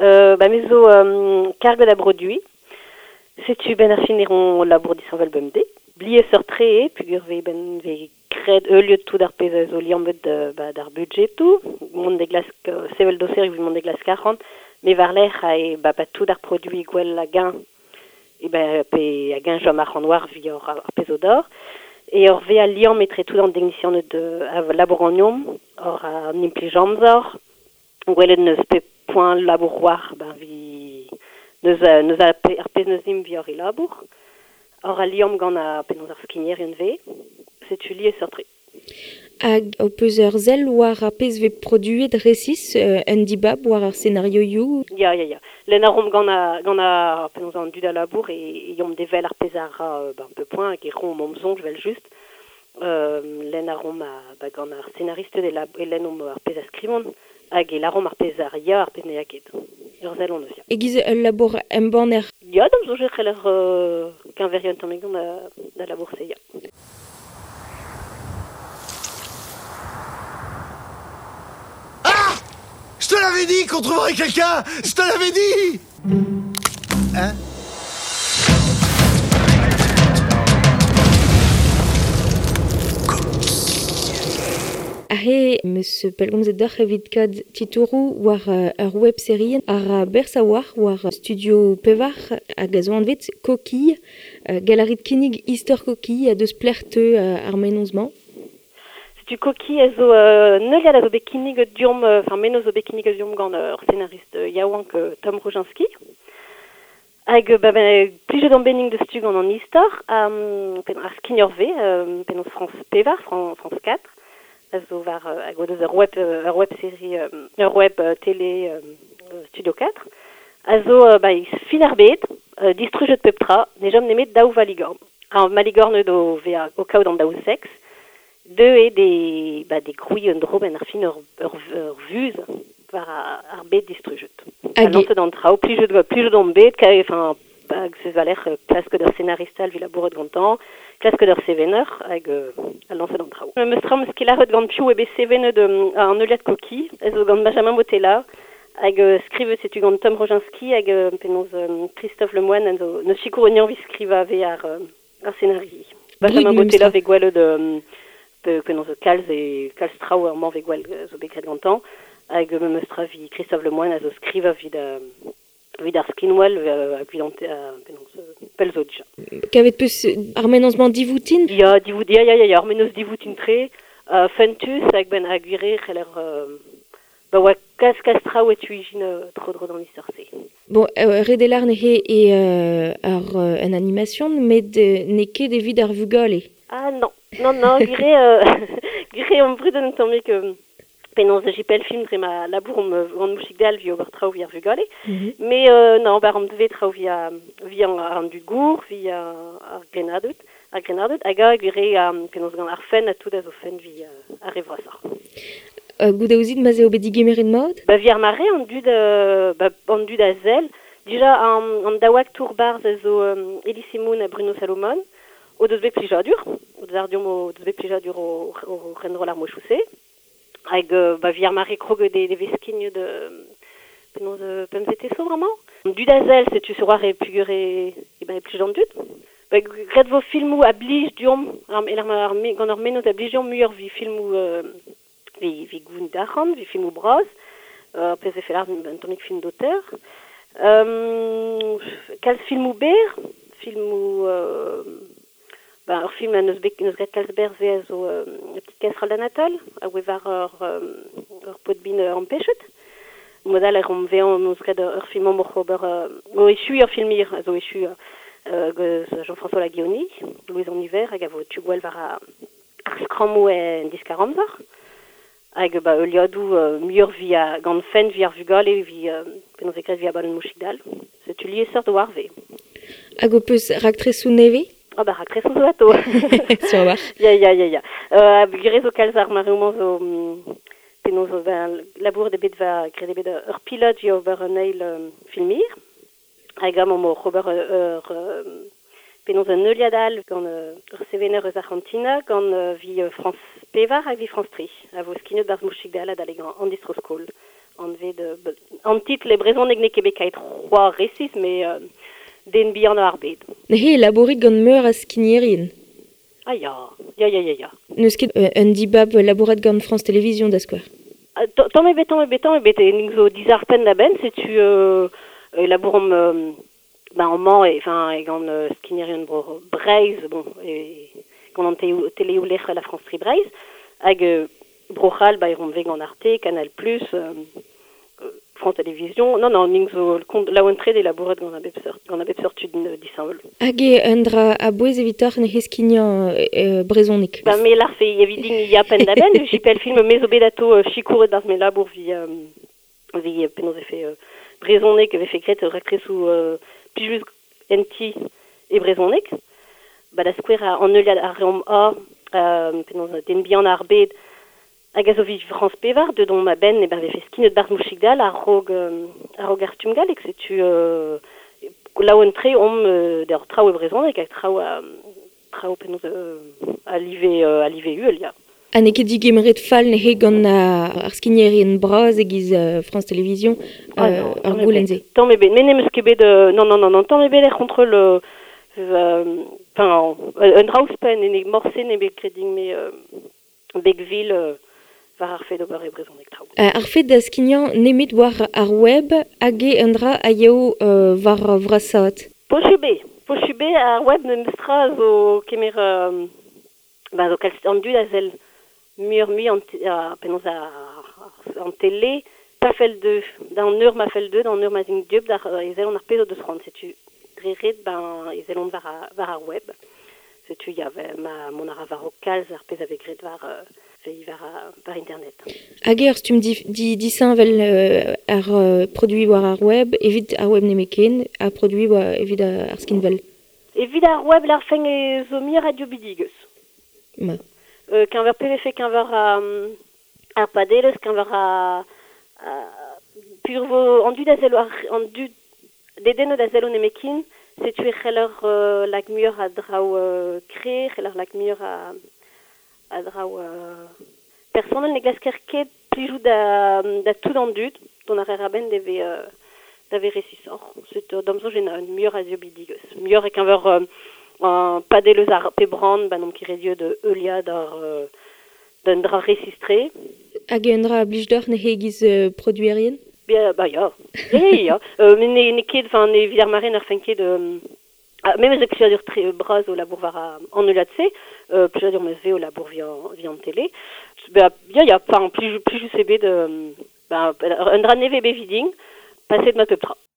Ba me zo karget a broduiñ. Setu benn ar fin e ran labour disheñvel bemdez. Liesseurt-tre eo peogwir vez benn vez graet heuliet tout ar pezh a zo liammet ba d'ar budjetoù, mont da glask sevel doser evit mont da glask arc'hant, met war-lerc'h eo ba ba tout ar produiñ gwell hag-eñ e ben pe hag-eñ chom arc'hant war evit ar pezh zo d'ober. E ur vezañ liamm etre tout an deknisianed a labour ganeomp, oc'h an implij amzer, gwelet n'eus pep poent labour war ben vi n'eus n'eus ar pezh n'eus dimp evit hor labour. Hor al liamm gant ar penaos ar skignerien vez, setu liesseurt-tre. Hag ho peus ur sell war ar pezh vez produet resis, un dibab war ar senarioioù? Ya, ya, ya. Lenn a reomp gant ar, gant ar penaos an dud a labour e yomp devel ar pezh a ra ben, peu point hag e roomp hom soñj evel-just. Lenn a reomp ba, gant ar senaristed e, e lennomp ar pezh a skrivont hag e lâromp ar pezh a ya, ar pezh ne ya ket. Ur sell hon eus, ya. E-giz ul labour embanner? Ya, da'm soñj e c'heller keñveriañ un tammig gant da labour-se, ya. Ah! Je te l'avais dit qu'on trouverait quelqu'un! Je te l'avais dit! Hein? Aze 'm eus pellgomzet deoc'h evit kaout titouroù war ur web-serie ar berzh a-walc'h war Studio Pevar hag a zo anvet Coquille. Gall a rit kinnig istor Coquille ha deus pelec'h teu ar mennozh-mañ? Setu Coquille a zo un heuliad a zo bet kinniget deomp, enfin mennozh zo bet kinniget deomp gant ur senarist yaouank Tom Roginski. Hag ba ben plijet on benning deus tu gant an istor, ar skigner-vez, penaos France Pevar, France 4, a zo war hag o deus ur web ur web-série ur web télé Studio 4, a zo ba fin ar bed, distrujet pep tra, ne chom nemet daou valigorn. Ar maligorn o vezañ o kaout an daou seks, deuet eo de ba de grouiñ un dro benn ar fin ur ur ur vuz war ar bed distrujet. Ha lañset an traoù, plijet plijet on bet, enfin hag se war-lerc'h klasket ur senarist all evit labourat gantañ, klasket ur sevener hag ha lañset an traoù. Memes tra 'm eus ket lâret gant piv eo bet sevenet an heuliad Coquille, a zo gant Benjamin Botella, hag skrivet setu gant Tom Roginski hag penaos Christophe Lemoine en zo neus sikour anezhañ evit skrivañ vez ar ar scenario. Benjamin Botella vez gwelet penaos kalz e kalz traoù amañ vez gwell zo bet graet gantañ hag memes tra evit Christophe Lemoine a zo skrivañ evit evit ar skinwel hag evit an penaos pell zo dija. Kavet 'peus ar mennozh-mañ divoutin? Ya, divout, ya, ya, ya, ya, ar mennozh divoutin-tre, fentus hag ben ha gwir eo c'heller ba oa kalz kalz traoù e tu-ijin tro-dro d'an istor-se. Bon, ret eo lâr neuze eo ar un animation met n'eo ket evit ar vugale. Ah non, non, non, gwir eo gwir eo omp brudet un tammig penaos JPL film dre ma labour omp gant Mouchig Dall evit ober traoù evit ar vugale. Mais non, ober omp dve traoù via via an dud gour, via ar grennarded, ar grennarded, hag a gwir eo penaos gant ar fenn ha tout a zo fenn via ar re vrasoc'h. Goude ouzit ma'z eo bet digemeret mat? Ba vi ar mare an dud ba an dud a sell. Dija an, an daou aktour barzh a zo Elie Semoun ha Bruno Salomon o deus bet plijadur, o deus ar deomp o deus bet plijadur o, o renroll ar mouchoù-se. Hag ba vi ar mare kroget e vez skignet penaos pemzete zo bremañ. An dud a sell, setu sur war e pugur e, e ben e plij an dud. Ba graet vo filmoù a blij deomp, ar, ar, gant ar mennozh a blij deomp muioc'h vi filmoù vi, vi gounid arc'hant, vi filmoù bras, ar pezh e fell un tammig film d'auteur. Kalz filmoù berr, filmoù ben, ur film n'eus bet n'eus graet kalz berzh a zo La petite casserole d'Anatole, a oe war ur, ur paotr bin ampechet. Mod all e rom vezañ n'eus graet ur film oc'h ober o echuiñ ur film hir a zo echu Jean-François Laguionie, Louise en hiver, hag a vo tu gwell war ar skrammoù en diskar-amzer. Hag ba heuliadoù muioc'h via gant fent via ar vugale vi penaos e graet via Ballon Mouchig-Dall. Setu liesseurt war vez. Hag ho peus raktresoù nevez? Ah ba raktresoù zo atao. Sur a-walc'h. Ya, ya, ya, ya. Gwir zo kalz ar mareoù-mañ zo penaos zo ben labour bet va graet eo bet ur pilot vi ober un eil film hir. Hag amañ oc'h ober ur penaos un heuliad all gant ur sevener eus Arc'hantina, gant vi France Pevar hag vi France Tri, a vo skignet barzh Mouchig-Dall adalek an distro-skol, Anvet an titl e brezhoneg n'eo ket bet kaet c'hoar resis, met den bihan ar bed. Neuze e labourit gant meur a skignerien. Ah ya, ya, ya, ya, ya. N'eus ket un dibab labourat gant France Télévisions da skouer. Ah, tamm ebet, tamm ebet, tamm ebet, e ning zo dizarpenn da benn, setu labouromp ba amañ e, enfin, e gant skignerien bro Breizh, bon, e gant an teleoù lec'h la France Tri Breizh, hag Bro-C'hall, ba e romp ve gant Arte, Canal+, France Télévisions. Non, non, ning zo laouen-tre de labourat gant a bep seurt, gant a bep seurt tud disheñvel. Hag eo un dra a-bouez evitoc'h ne skignañ brezhoneg. Ba me larfe evit din ya penn da benn, JPL film me zo bet ato sikouret barzh me labour vi vi penaos e fe brezhoneg e vefe graet raktresoù plijus en ti e brezhoneg. Ba da skouer an heuliad ar reomp a penaos den bihan ar bed hag a zo vi France Pevar, deut on ma benn e ben vefe skignet barzh mouchig-dall a-raok a-raok ar stumm gallek, setu laouen-tre omp d'ur traoù e brezhoneg hag traoù traoù penaos a live uhel, ya. Ha n'eo ket digemeret fall neuze gant ar skignerien bras e-giz France Télévisions Ah non, ar tamm ebet. goulenn-se. Tamm ebet, me n'em eus ket bet non, non, non, non, tamm ebet er c'hontrol enfin, un dra ouzhpenn ene morse n'eo bet graet din-me beg-vil war ar fed ober e brezhoneg traoù. Ar fed da skignañ nemet war ar web hag eo un dra a yeo war vrasaat. Posubl, posubl ar web memes tra zo kemer ba zo kalz an dud a sell muioc'h-mui an penaos an tele, pa fell deu, d'an eur ma fell deu, d'an eur ma zint dieub, d'ar e sellont ar pezh o deus c'hoant, setu dre ret ben e sellont war ar web. Setu ya, ma mont a ra war o kalz ar pezh a vez graet war war, war internet. Hag eo ur stumm disheñvel ar produiñ war ar web, evit ar web nemetken, ha produiñ war evit ar skinwel. Evit ar web larfen e zo muioc'h a dieubidigezh. Ma. Keñver PVF, keñver ar padelezh, keñver a pur vo an dud a sello ar an dud dedennet da sello nemetken, setu e c'heller lak muioc'h a draoù kre, c'heller lak muioc'h a draoù personel ne glasker ket plijout da tout an dud, dont ar a-benn da ve resisoc'h. Setu d'am soñj en muioc'h a dieubidigezh. Muioc'h e keñver an padelezh ar pe brand, ba n'omp ket re dieub de heuliad ar d'un dra resistre. Hag un dra a blij deoc'h neuze e-giz produerien? Bien, ba ya. Ya, ya, ya. Met ne ket, enfin, ne evit ar mare n'ar fen ket memes e plijadur tre bras o labour war an heuliad-se, plijadur meus ve o labour vi an tele. Ba, ya, ya, enfin, plijus eo bet ba, un dra nevez bet vidin, paset ma pep tra.